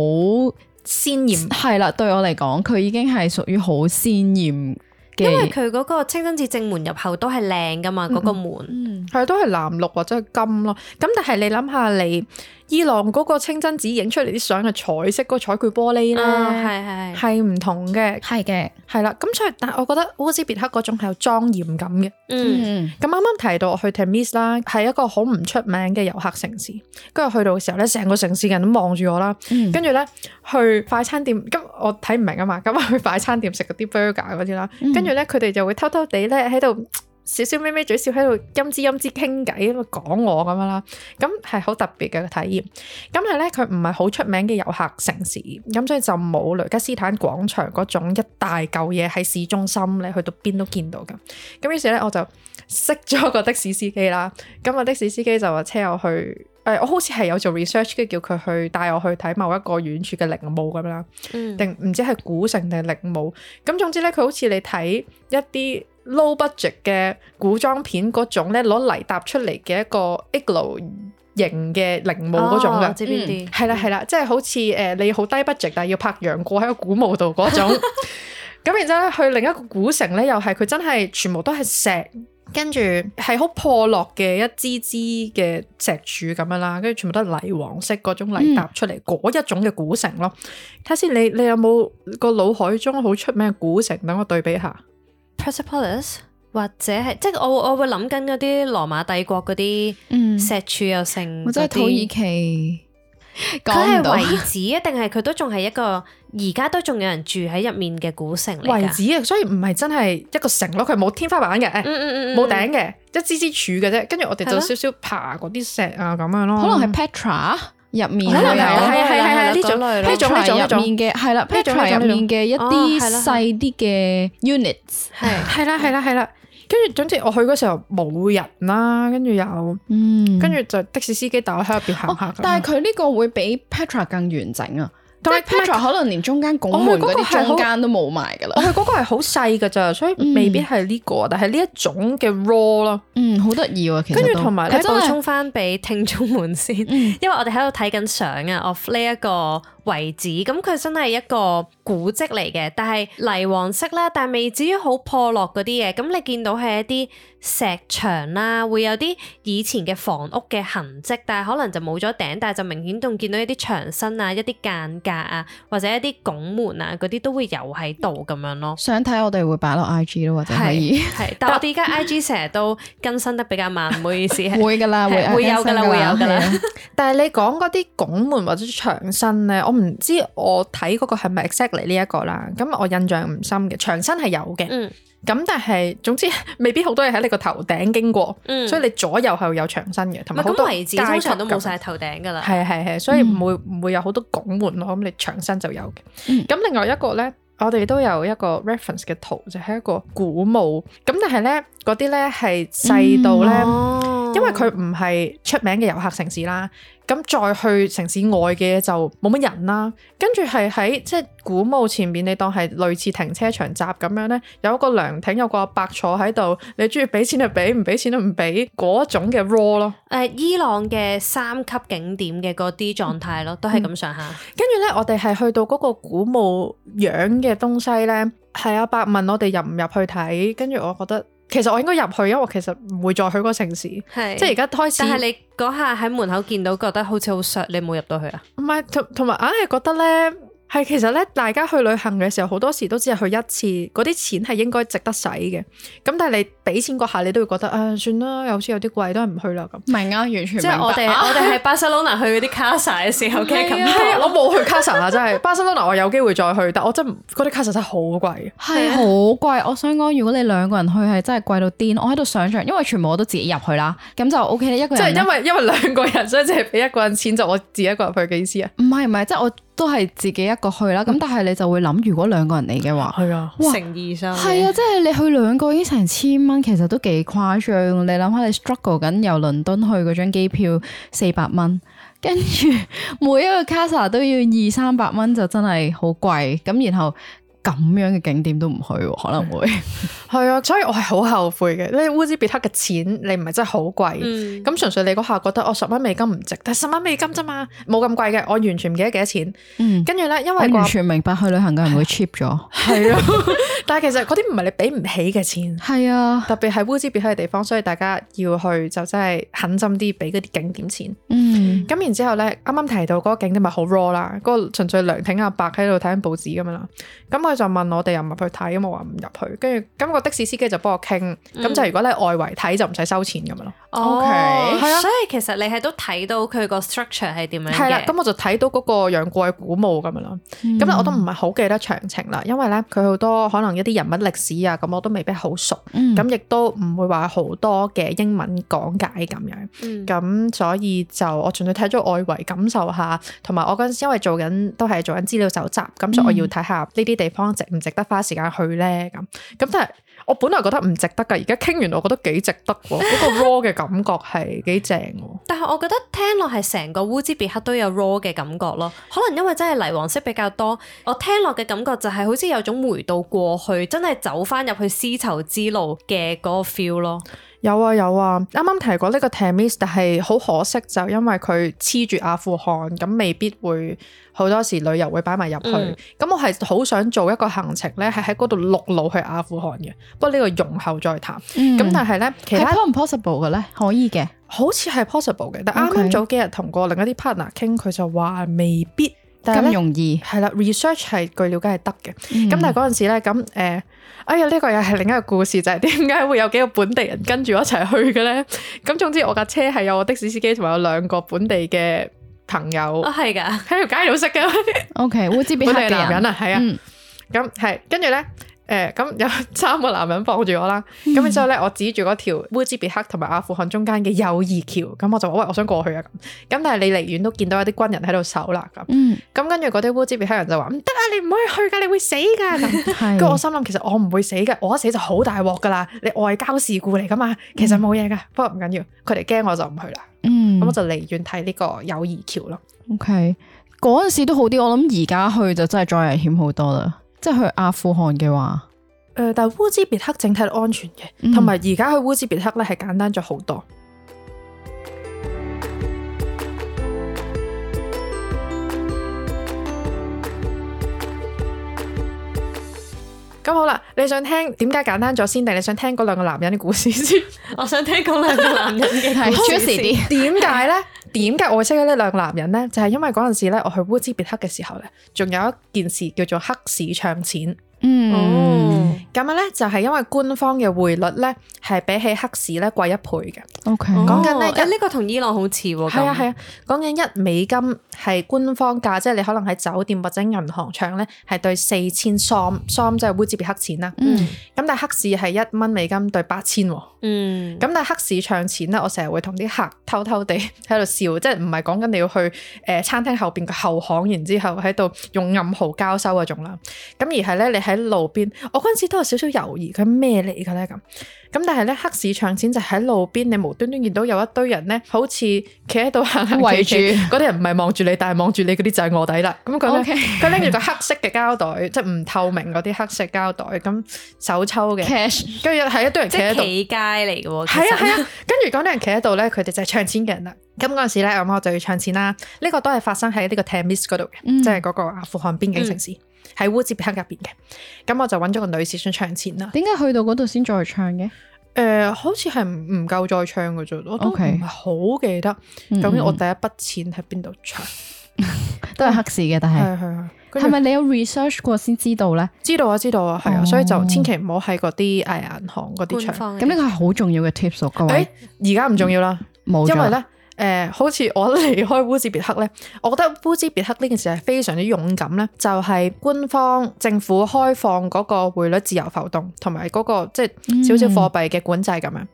鮮豔。係啦，對我嚟講，佢已經係屬於好鮮豔。因為佢嗰個清真寺正門入口都係靚噶嘛，嗰個門係都係藍綠或者係金咯。咁但係你諗下，你伊朗嗰個清真寺影出嚟啲相嘅彩色嗰個彩繪玻璃咧，係唔同嘅，係嘅，係啦。咁所以，但係我覺得烏茲別克嗰種係有莊嚴感嘅。咁啱啱提到我去 Tabriz 啦，係一個好唔出名嘅遊客城市。跟住去到嘅時候咧，成個城市人都望住我啦。跟住咧去快餐店，咁我睇唔明啊嘛，咁去快餐店食嗰啲 burger 嗰啲啦。跟住咧佢哋就會偷偷地咧喺度少少咪咪嘴笑喺度陰滋陰滋傾偈咁啊講我咁樣啦，咁係好特別嘅體驗。咁係咧佢唔係好出名嘅遊客城市，咁所以就冇雷吉斯坦廣場嗰種一大嚿嘢喺市中心咧，去到邊都見到噶。咁於是咧我就識咗個的士司機啦，咁啊的士司機就話車我去。我好似係有做 research，跟住叫佢去帶我去睇某一個遠處嘅陵墓咁啦，定唔知係古城定係陵墓。咁總之咧，佢好似你睇一啲 low budget 嘅古裝片嗰種咧，攞泥搭出嚟嘅一個 igloo 型嘅陵墓嗰種嘅，知邊啲？係啦係啦，即係好似你好低 budget，但係要拍楊過喺個古墓度嗰種。咁然之後咧，去另一個古城咧，又係佢真係全部都係石。跟住係好破落嘅一支支嘅石柱咁樣啦，跟住全部都係泥黃色嗰種泥搭出嚟嗰一種嘅古城咯。睇下先，你有冇個腦海中好出名嘅古城？等我對比下 Persepolis 或者係即係我會諗緊嗰啲羅馬帝國嗰啲石柱又成，或者係土耳其。佢係遺址啊，定係佢都仲係一個而家都仲有人住喺入面嘅古城嚟㗎？遺址啊，所以唔係真係一個城咯，佢冇天花板嘅，冇頂嘅，一支支柱嘅啫。跟住我哋就少少爬嗰啲石啊咁樣咯。可能係 Petra 入面，可能係呢種入面嘅係啦 ，Petra 入面嘅一啲細啲嘅 units，係啦。跟住總之我去嗰時候冇人啦，跟住又，跟住就的士司機帶我喺入邊行下。但係佢呢個會比 Petra 更完整啊！即係 Petra 可能連中間拱門嗰啲中間都冇埋噶啦。我去嗰個係好細噶咋，所以未必係呢個，但係呢一種嘅 raw 咯。好得意啊！其實跟住同埋咧，補充翻俾聽眾們先，因為我哋喺度睇緊相啊，of 呢一個遺址，咁佢真係一個古蹟嚟嘅，但係泥黃色啦，但係未至於好破落嗰啲嘢。咁你見到係一啲石牆啦，會有啲以前嘅房屋嘅痕跡，但係可能就冇咗頂，但係就明顯仲見到一啲牆身啊、一啲間隔啊，或者一啲拱門啊嗰啲都會有喺度咁樣咯。想睇我哋會擺落 IG 咯，或者可以。係，但係我哋而家 IG 成日都更新得比較慢，唔好意思。會㗎啦，會有㗎啦。但係你講嗰啲拱門或者牆身咧，我唔知我睇嗰個係咪 exactly 呢一個啦。咁我印象唔深嘅，牆身係有嘅。咁但係總之未必好多嘢喺你個頭頂經過，所以你左右係有牆身嘅，同埋好多遺址通常都冇晒頭頂㗎啦。係，所以唔會有好多拱門咯。咁你牆身就有嘅。咁另外一個咧，我哋都有一個 reference 嘅圖，就係一個古墓。咁但係咧嗰啲咧係細到咧，因為佢唔係出名嘅遊客城市啦。咁再去城市外嘅就冇乜人啦，跟住係喺即係古墓前面，你當係類似停車場閘咁樣咧，有一個涼亭，有個阿伯坐喺度，你中意俾錢就俾，唔俾錢都唔俾嗰種嘅 raw 咯。伊朗嘅3級景點嘅嗰啲狀態咯，都係咁上下。跟住咧，我哋係去到嗰個古墓樣嘅東西咧，係阿伯問我哋入唔入去睇，跟住我覺得。其實我應該入去，因為我其實唔會再去嗰個城市，即係而家開始。但係你嗰下喺門口見到，覺得好似好削，你冇入到去啊？唔係，同埋硬係覺得咧，係其實咧，大家去旅行嘅時候，好多時都只係去一次，嗰啲錢係應該值得使嘅。咁但係你俾錢嗰下，你都會覺得啊，算啦，好似有啲貴，都係唔去啦咁。明啊，完全明白。即係我哋喺巴塞隆納去嗰啲卡薩嘅時候嘅感覺。我冇去卡薩啊，真係巴塞隆納我有機會再去，但我真嗰啲卡薩真係好貴，係好貴。我想講，如果你2個人去係真係貴到癲。我喺度想象，因為全部我都自己入去啦，咁就 OK 啦。一個人即係因為2個人，所以淨係俾1個人錢，就我自己一個人去嘅意思啊？唔係，即係我都係自己一個去啦。咁但係你就會諗，如果2個人嚟嘅話，係啊，誠意上係啊，即係你去2個已經成1000蚊，其實都幾誇張。你諗下，你 struggle 緊由倫敦去嗰張機票400蚊，跟住每一個 casa 都要200-300蚊，就真係好貴。咁然後咁樣嘅景點都唔去喎，可能會係啊，所以我係好後悔嘅。你烏茲別克嘅錢你唔係真係好貴，咁純粹你嗰下覺得我10蚊美金唔值，但係10蚊美金啫嘛，冇咁貴嘅，我完全唔記得幾多錢。跟住咧，因為我完全明白去旅行嘅人會 cheap 咗，係啊，但係其實嗰啲唔係你俾唔起嘅錢，係啊，特別係烏茲別克嘅地方，所以大家要去就真係狠心啲俾嗰啲景點錢。咁然之後咧，啱啱提到嗰個景點咪好 raw 啦，嗰個純粹涼亭阿伯喺度睇緊報紙咁樣啦。咁佢就問我哋入唔入去睇，咁我話唔入去。跟住咁個的士司機就幫我傾，咁就如果你外圍睇就唔使收錢咁樣咯。OK，係啊，所以其實你係都睇到佢個 structure 係點樣嘅。係啦，咁我就睇到嗰個楊過嘅古墓咁樣咯。咁咧我都唔係好記得詳情啦，因為咧佢好多可能一啲人物歷史啊，咁我都未必好熟。咁亦都唔會話好多嘅英文講解咁樣。咁所以就我純粹睇咗外圍感受下，同埋我嗰陣時因為都係做緊資料搜集，咁所以我要睇下呢啲地方值唔值得花時間去咧咁。咁但係我本來覺得唔值得㗎，而家傾完我覺得幾值得喎，嗰個 raw 嘅感覺係幾正喎。但係我覺得聽落係成個烏茲別克都有 raw 嘅感覺咯，可能因為真係泥黃色比較多，我聽落嘅感覺就係好似有種回到過去，真係走翻入去絲綢之路嘅嗰個 feel 咯。有啊，啱啱提過呢個 Tamis， 但係好可惜就因為佢黐住阿富汗，咁未必會好多時旅遊會擺埋入去。咁我係好想做一個行程咧，係喺嗰度陸路去阿富汗嘅。不過呢個容後再談。咁但係咧，其他係 possible 嘅咧，可以嘅，好似係 possible 嘅。但啱啱早幾日同過另一啲 partner 傾，佢就話未必咁容易。係啦 ，research 係據了解係得嘅。咁但係嗰陣時咧，咁哎呀，呢個又係另一個故事，就係點解會有幾個本地人跟住我一齊去嘅咧？咁總之我架車係有我的士司機同埋有2個本地嘅朋友。啊，係㗎，喺條街度識嘅。OK，烏茲別克嘅男人啊，係啊。咁係跟住咧。咁有3個男人傍住我啦，咁之後咧，我指住嗰條烏茲別克同埋阿富汗中間嘅友誼橋，咁我就話喂，我想過去啊咁。咁但係你離遠都見到有啲軍人喺度守啦咁。咁跟住嗰啲烏茲別克人就話唔得啊，你唔可以去㗎，你會死㗎咁。跟住我心諗其實我唔會死嘅，我一死就好大鑊㗎啦，你外交事故嚟㗎嘛，其實冇嘢㗎。不過唔緊要，佢哋驚我就唔去啦。咁我就離遠睇呢個友誼橋咯。OK，嗰陣時都好啲，我諗而家去就真係再危險好多啦。即係去阿富汗嘅話，但係烏茲別克整體都安全嘅，同埋而家去烏茲別克咧係簡單咗好多。咁好啦，你想聽點解簡單咗先，定你想聽嗰2個男人嘅故事先？我想聽嗰2個男人嘅故事先。點解咧？點解我會識呢2個男人咧？就係因為嗰陣時咧，我去烏茲別克嘅時候咧，仲有一件事叫做黑市唱錢。咁樣咧就係因為官方嘅匯率咧係比起黑市咧貴1倍嘅。OK，講緊咧呢個同伊朗好似喎。係啊，講緊1美金係官方價，即係你可能喺酒店或者銀行唱咧係對4000 som 即係烏茲別克錢啦。咁但係黑市係1蚊美金對8000。咁但係黑市唱錢咧，我成日會同啲客偷偷地喺度笑，即係唔係講緊你要去餐廳後邊嘅後巷，然之後喺度用暗號交收嗰種啦。咁而係咧你喺路邊，我嗰陣時都有少少猶豫佢咩嚟嘅咧咁。咁但係咧黑市唱錢就喺路邊，你無端端見到有一堆人咧，好似企喺度行行企企，嗰啲人唔係望住你，但係望住你嗰啲就係臥底啦。咁佢拎住個黑色嘅膠袋，即係唔透明嗰啲黑色膠袋，咁手抽嘅 cash， 跟住係一堆人企喺度，企街嚟嘅喎。係啊，跟住嗰啲人企喺度咧，佢哋就係唱錢嘅人啦。咁嗰陣時咧，我就要唱錢啦。呢個都係發生喺呢個 Tamis 嗰度嘅，即係嗰個阿富汗邊境城市，喺烏茲別克入邊嘅。咁我就揾咗個女士想唱錢啦。點解去到嗰度先再唱嘅？好似係唔夠再唱嘅啫，我都唔係好記得究竟我第一筆錢喺邊度唱。都係黑市嘅，但係係咪你有 research 過先知道咧？知道啊，係啊，所以就千祈唔好喺嗰啲銀行嗰啲唱。咁呢個係好重要嘅 tips，各位。而家唔重要啦，冇咗。因為咧。好似我離開烏茲別克咧，我覺得烏茲別克呢件事係非常之勇敢咧，就係官方政府開放嗰個匯率自由浮動，同埋嗰個即係少少貨幣嘅管制咁樣。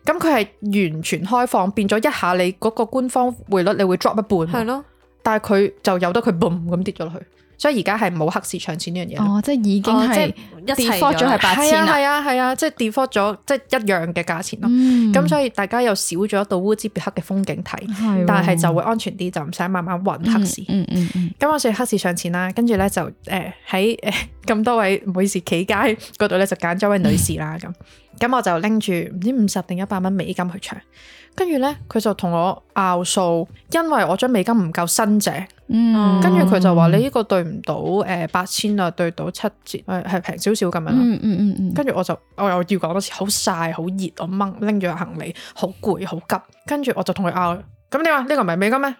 咁佢係完全開放，變咗一下你嗰個官方匯率你會 drop 一半。係咯。但係佢就由得佢 boom 咁跌咗落去。所以而家係冇黑市搶錢呢樣嘢。哦，即係已經係一齊 default 咗係8000啦。係啊，即係 default 咗，即係一樣嘅價錢咯。咁所以大家又少咗一道烏茲別克嘅風景睇，但係就會安全啲，就唔使慢慢揾黑市。咁我哋黑市搶錢啦，跟住咧就喺咁多位唔好意思企街嗰度咧就揀咗位女士啦咁我就拎住唔知50定100蚊美金去搶，跟住咧佢就同我拗數，因為我張美金唔夠新淨。跟住佢就話你呢個對唔到8000啊，對到7折，係平少少咁樣。跟住我又要講多次，好曬好熱，我拎住個行李好攰好急，跟住我就同佢拗。咁你話呢個唔係美金咩？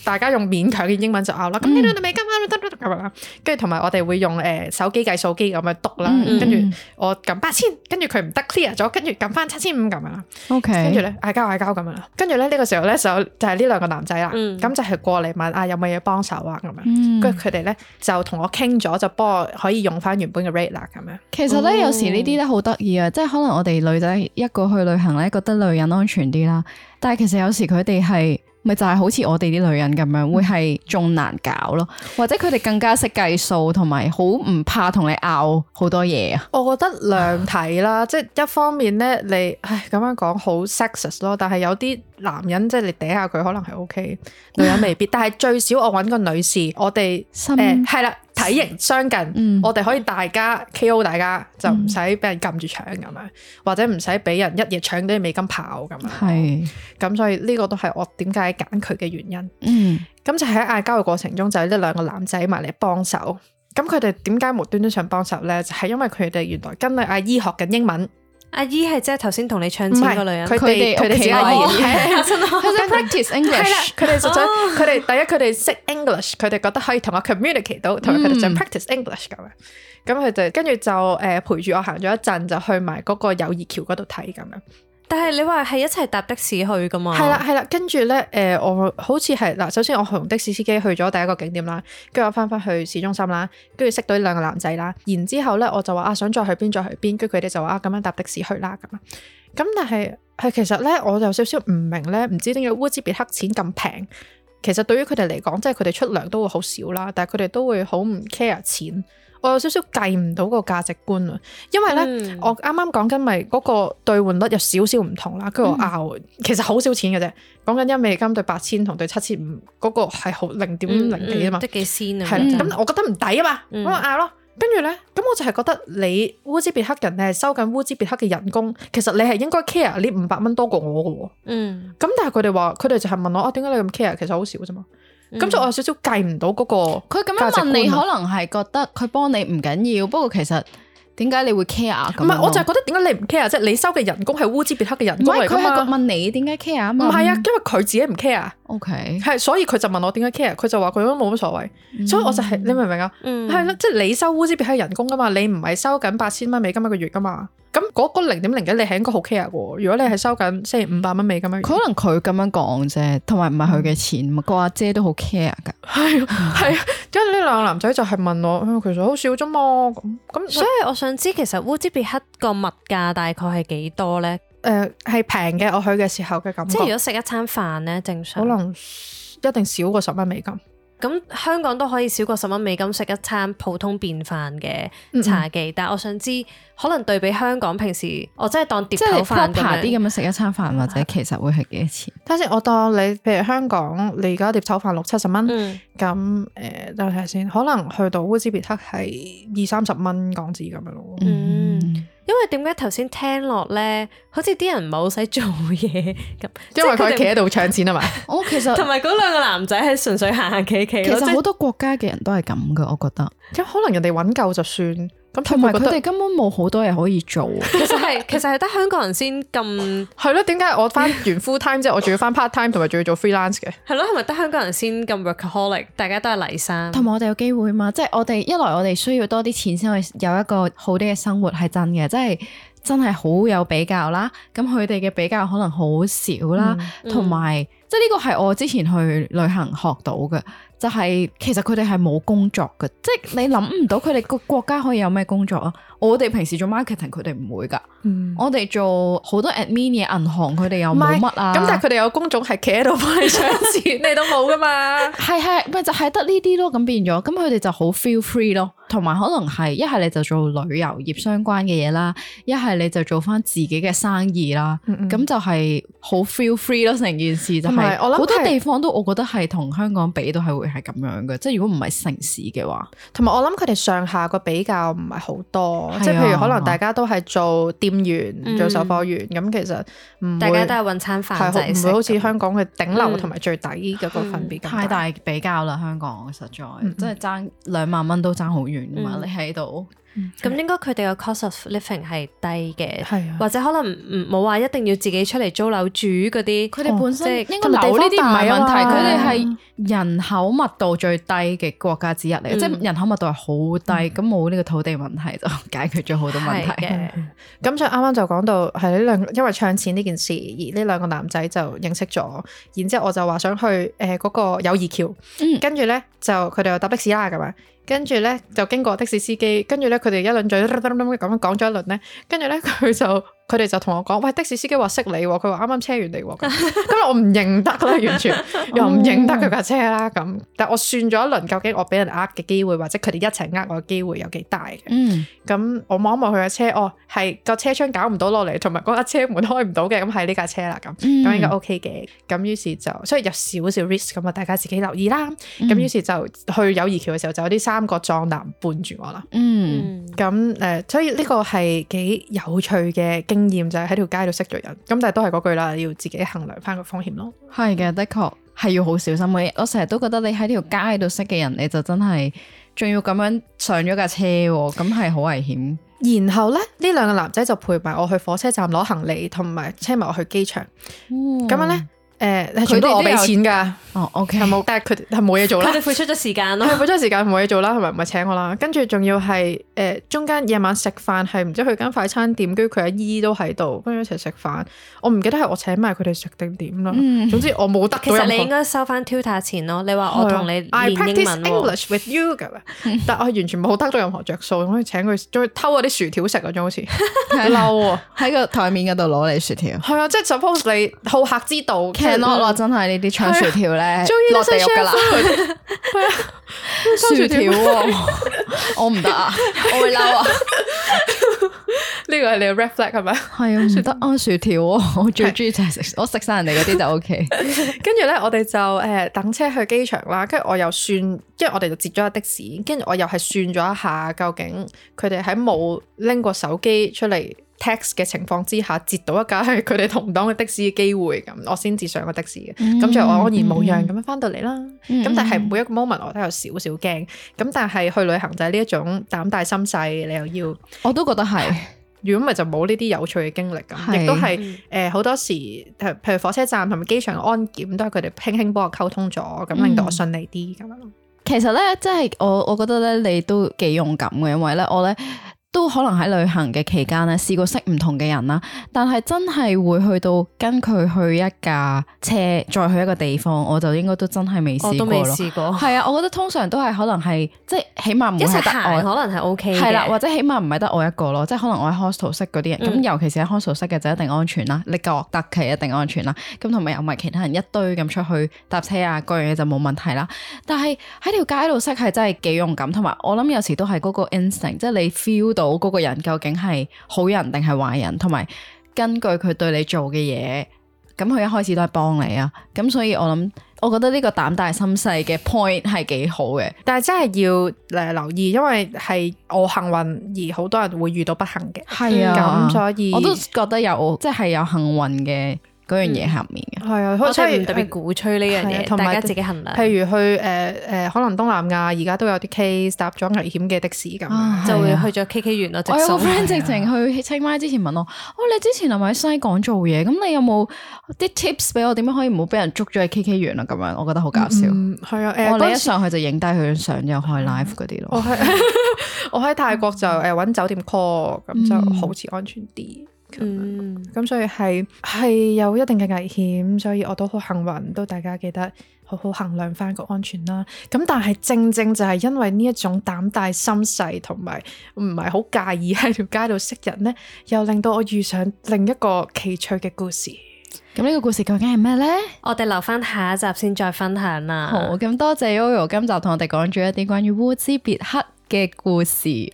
大家用勉強嘅英文就拗啦。咁呢度係美金啊，得咁樣啦。跟住同埋我哋會用手機計數機咁樣篤啦。跟住我撳8000，跟住佢唔得 clear 咗，跟住撳翻7500咁樣啦。OK，跟住咧嗌交咁樣啦。跟住咧呢個時候咧就係呢兩個男仔啦。咁就係過嚟問有冇嘢幫手啊咁樣。跟住佢哋咧就同我傾咗，就幫我可以用翻原本嘅 rate 啦咁樣。其實咧有時呢啲咧好得意啊，即係可能我哋女仔一個去旅行咧，覺得女人安全啲啦。但係其實有時佢哋係咪就係好似我哋啲女人咁樣，會係仲難搞咯，或者佢哋更加識計數，同埋好唔怕同你拗好多嘢啊。我覺得兩睇啦，即係一方面咧，你咁樣講好 sexist 咯，但係有啲男人即係你嗲下佢可能係 OK， 女人未必。但係最少我揾個女士，我哋係啦，體型相近，我哋可以大家 KO 大家，就唔使俾人撳住搶咁樣，或者唔使俾人一夜搶啲美金跑咁樣。係咁，所以呢個都係我點解揀佢嘅原因。咁就喺嗌交嘅過程中，就係呢兩個男仔埋嚟幫手。咁佢哋點解無端端想幫手咧？就係因為佢哋原來跟阿姨學緊英文。阿姨係即係頭先同你搶錢個女人，佢哋自己阿姨，佢哋 practice English， 係啦，佢哋實在佢哋第一佢哋識 English， 佢哋覺得可以同我 communicate 到，同埋佢哋想 practice English 咁樣。咁佢哋跟住就陪住我行咗一陣，就去埋嗰個友誼橋嗰度睇咁樣。但係你話係一齊搭的士去噶嘛？係啦，跟住咧我好似係嗱，首先我同的士司機去咗第一個景點啦，跟住我翻去市中心啦，跟住識到呢兩個男仔啦，然之後咧我就話想再去邊，跟住佢哋就話咁樣搭的士去啦咁啊。咁但係其實咧我有少少唔明咧，唔知點解烏茲別克錢咁平，其實對於佢哋嚟講，即係佢哋出糧都會好少啦，但係佢哋都會好唔 care 錢。我有少少計唔到個價值觀啊，因為咧我啱啱講緊咪嗰個兌換率有少少唔同啦，跟住我拗，其實好少錢嘅啫，講緊1美金對8000同對7500嗰個係好0.0幾啊嘛，都幾仙啊，係啦，咁我覺得唔抵啊嘛，咁我拗咯，跟住咧咁我就係覺得你烏茲別克人你係收緊烏茲別克嘅人工，其實你係應該 care 呢500蚊多過我嘅喎，咁但係佢哋話佢哋就係問我點解你咁 care，其實好少啫嘛。咁就我有少少計唔到嗰個，佢咁樣問你，可能係覺得佢幫你唔緊要，不過其實點解你會 care 咁？唔係，我就係覺得點解你唔 care，即係你收嘅人工係烏茲別克嘅人工嚟㗎嘛。佢係問你點解 care 啊嘛？唔係啊，因為佢自己唔 care。OK，係所以佢就問我點解 care，佢就話佢都冇乜所謂。所以我就係你明唔明啊？係咯，即係你收烏茲別克人工㗎嘛，你唔係收緊8000蚊美金一個月㗎嘛。咁嗰0.01你係應該好 care 嘅喎。如果你係收緊即係500蚊美金一個月，可能佢咁樣講啫，同埋唔係佢嘅錢嘛。個阿姐都好 care 㗎。係啊，因為呢兩個男仔就係問我，其實好少啫嘛。咁所以我想知其實烏茲別克個物價大概係幾多咧？係平嘅，我去嘅時候嘅感覺。即係如果食一餐飯咧，正常可能一定少過10蚊美金。咁香港都可以少過10蚊美金食一餐普通便飯嘅茶記，但係我想知可能對比香港平時我真係當碟頭飯啲咁樣食一餐飯，或者其實會係幾多錢？睇先，我當你譬如香港你而家碟頭飯60-70蚊，咁等我睇下先，可能去到烏茲別克係20-30蚊港紙咁樣咯。因為點解頭先聽落咧，好似啲人唔係好使做嘢咁，因為佢企喺度搶錢啊嘛。我其實同埋嗰兩個男仔係純粹行行企企。其實好多國家嘅人都係咁噶，我覺得。咁可能人哋揾夠就算。咁同埋佢哋根本冇好多嘢可以做。其實係得香港人先咁。係咯，點解我翻完 full time 之後，我仲要翻 part time，同埋仲要做 freelance 嘅？係咯，係咪得香港人先咁 workaholic？大家都係黎生。同埋我哋有機會嘛，即係我哋一來我哋需要多啲錢先可以有一個好啲嘅生活，係真嘅，即係真係好有比較啦。咁佢哋嘅比較可能好少啦，同埋即係呢個係我之前去旅行學到嘅。就係其實佢哋係冇工作嘅，即係你諗唔到佢哋個國家可以有咩工作啊？我哋平時做 marketing，佢哋唔會㗎。我哋做好多 admin 嘢，銀行佢哋又冇乜啊。咁但係佢哋有工種係企喺度幫你搶錢，你都冇㗎嘛？係，咪就係得呢啲咯。咁變咗，咁佢哋就好 feel free 咯。同埋可能係一係你就做旅遊業相關嘅嘢啦，一係你就做翻自己嘅生意啦。咁就係好 feel free 咯，成件事就係好多地方都我覺得係同香港比都係會係咁樣嘅，即係如果唔係城市嘅話。同埋我諗佢哋上下個比較唔係好多，即係譬如可能大家都係做店員、做售貨員，咁其實大家都係揾餐飯仔食，唔會好似香港嘅頂流同埋最底嗰個分別咁太大比較啦。香港實在真係爭2萬蚊都爭好遠㗎嘛，你喺度。咁應該佢哋個 cost of living 係低嘅，係啊，或者可能冇話一定要自己出嚟租樓住嗰啲。佢哋本身應該樓呢啲唔係問題，佢哋係人口密度最低嘅國家之一嚟，即係人口密度係好低，咁冇呢個土地問題就解決咗好多問題嘅。咁所以啱啱就講到係呢兩，因為唱錢呢件事，而呢兩個男仔就認識咗，然之後我就話想去嗰個友誼橋，跟住咧就佢哋又搭的士啦咁樣。跟住咧就經過的士司機，跟住咧佢哋一輪嘴咁樣講咗一輪咧，跟住咧佢哋就同我講，喂，的士司機話識你喎，佢話啱啱車完你喎，咁我唔認得啦，完全又唔認得佢架車啦咁。但我算咗一輪，究竟我俾人呃嘅機會，或者佢哋一齊呃我嘅機會有幾大嘅？咁我望一望佢架車，係個車窗搞唔到落嚟，同埋嗰架車門開唔到嘅，咁係呢架車啦咁，咁應該 OK 嘅。咁於是就所以有少少 risk 咁啊，大家自己留意啦。咁於是就去友誼橋嘅時候，就有啲3個壯男伴住我啦。咁所以呢個係幾有趣嘅經驗，就係喺條街度識咗人。咁但係都係嗰句啦，要自己衡量翻個風險咯。係嘅，的確係要好小心嘅。我成日都覺得你喺條街度識嘅人，你就真係仲要咁樣上咗架車，咁係好危險。然後咧，呢兩個男仔就陪埋我去火車站攞行李，同埋車埋我去機場。咁樣咧。佢都我俾錢㗎。OK，但係佢哋係冇嘢做啦。佢哋付出咗時間咯，付出時間冇嘢做啦，同埋唔係請我啦。跟住仲要係中間夜晚食飯係唔知去間快餐店，跟住佢阿姨都喺度，跟住一齊食飯。我唔記得係我請埋佢哋食定點啦。總之我冇得。其實你應該收翻 tutor 錢咯。你話我同你練英文喎。I practice English with you 咁樣，但我完全冇得到任何着數，可以請佢仲要偷嗰啲薯條食嗰種好似嬲啊！喺個台面嗰度攞你薯條。係啊，即係 suppose 你好客之道。落真係呢啲搶薯條咧，落地獄噶啦，係啊，薯條我唔得啊，我會嬲啊！呢個係你嘅 red flag 係咪？係啊，唔得啊，薯條我最中意就係食，我食晒人哋嗰啲就 OK。跟住咧，我哋就等車去機場啦，跟住我又算，因為我哋就截咗架的士，跟住我又係算咗一下，究竟佢哋喺冇拎過手機出嚟 text 嘅情況之下，截到一架係佢哋同黨嘅的士嘅機會，咁我先至上個的士嘅。咁就我安然無恙咁樣翻到嚟啦。咁但係每一個 moment 我都有少少驚。咁但係去旅行就係呢一種膽大心細，你又要，我都覺得係。如果唔係就冇呢啲有趣嘅經歷咁，亦都係好多時，譬如火車站同埋機場嘅安檢都係佢哋輕輕幫我溝通咗，咁令到我順利啲咁樣。其實咧，即係我覺得咧，你都幾勇敢嘅，因為咧我咧。都可能喺旅行嘅期間咧，試過識唔同嘅人啦，但係真係會去到跟佢去一架車，再去一個地方，我就應該都真係未試過咯。我都未試過。係啊，我覺得通常都係可能係即係起碼唔會係得我，可能係 OK 嘅。係啦，或者起碼唔係得我一個咯，即係可能我喺 hostel 識嗰啲人，咁尤其是喺 hostel 識嘅就一定安全啦，你覺得佢一定安全啦，咁同埋又唔係其他人一堆咁出去搭車啊，各樣嘢就冇問題啦。但係喺條街度識係真係幾勇敢，同埋我諗有時都係嗰個 instinct， 即係你 feel 到嗰個人究竟係好人定係壞人，同埋根據佢對你做嘅嘢，咁佢一開始都係幫你啊，咁所以我覺得呢個膽大心細嘅 point 係幾好嘅，但係真係要留意，因為係我幸運，而好多人會遇到不幸嘅。係啊，咁所以我都覺得有即係有幸運嘅嗰樣嘢下面嘅。係啊，我真係唔特別鼓吹呢樣嘢，大家自己衡量。譬如去可能東南亞而家都有啲 case 搭咗危險嘅的士咁，就會去咗 KK 園咯。我有個 friend 直情去清邁之前問我，你之前係咪喺西港做嘢？咁你有冇啲 tips 俾我點樣可以唔好俾人捉咗喺 KK 園啊？咁樣我覺得好搞笑。係啊，你一上去就影低佢張相，又開 live 嗰啲咯。我喺泰國就揾酒店 call，咁就好似安全啲。咁所以係有一定嘅危險，所以我都好幸運，都大家記得好好衡量翻個安全啦。咁但係正正就係因為呢一種膽大心細同埋唔係好介意喺條街度識人呢，又令到我遇上另一個奇趣嘅故事。咁呢個故事究竟係咩呢？我哋留翻下一集先再分享啦。好，咁多謝 Yoyo 今集同我哋講咗一啲關於烏茲別克嘅故事。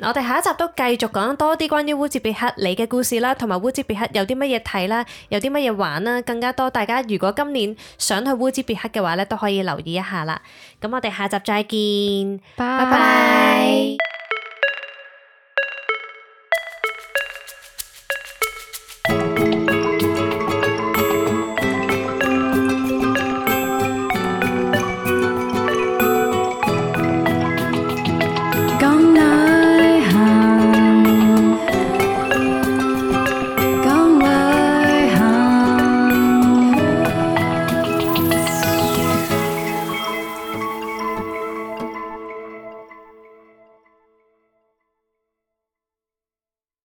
我哋下一集都繼續講多啲關於烏茲別克你嘅故事啦，同埋烏茲別克有啲乜嘢睇啦，有啲乜嘢玩啦，更加多。大家如果今年想去烏茲別克嘅話咧，都可以留意一下啦。咁我哋下集再見，拜拜。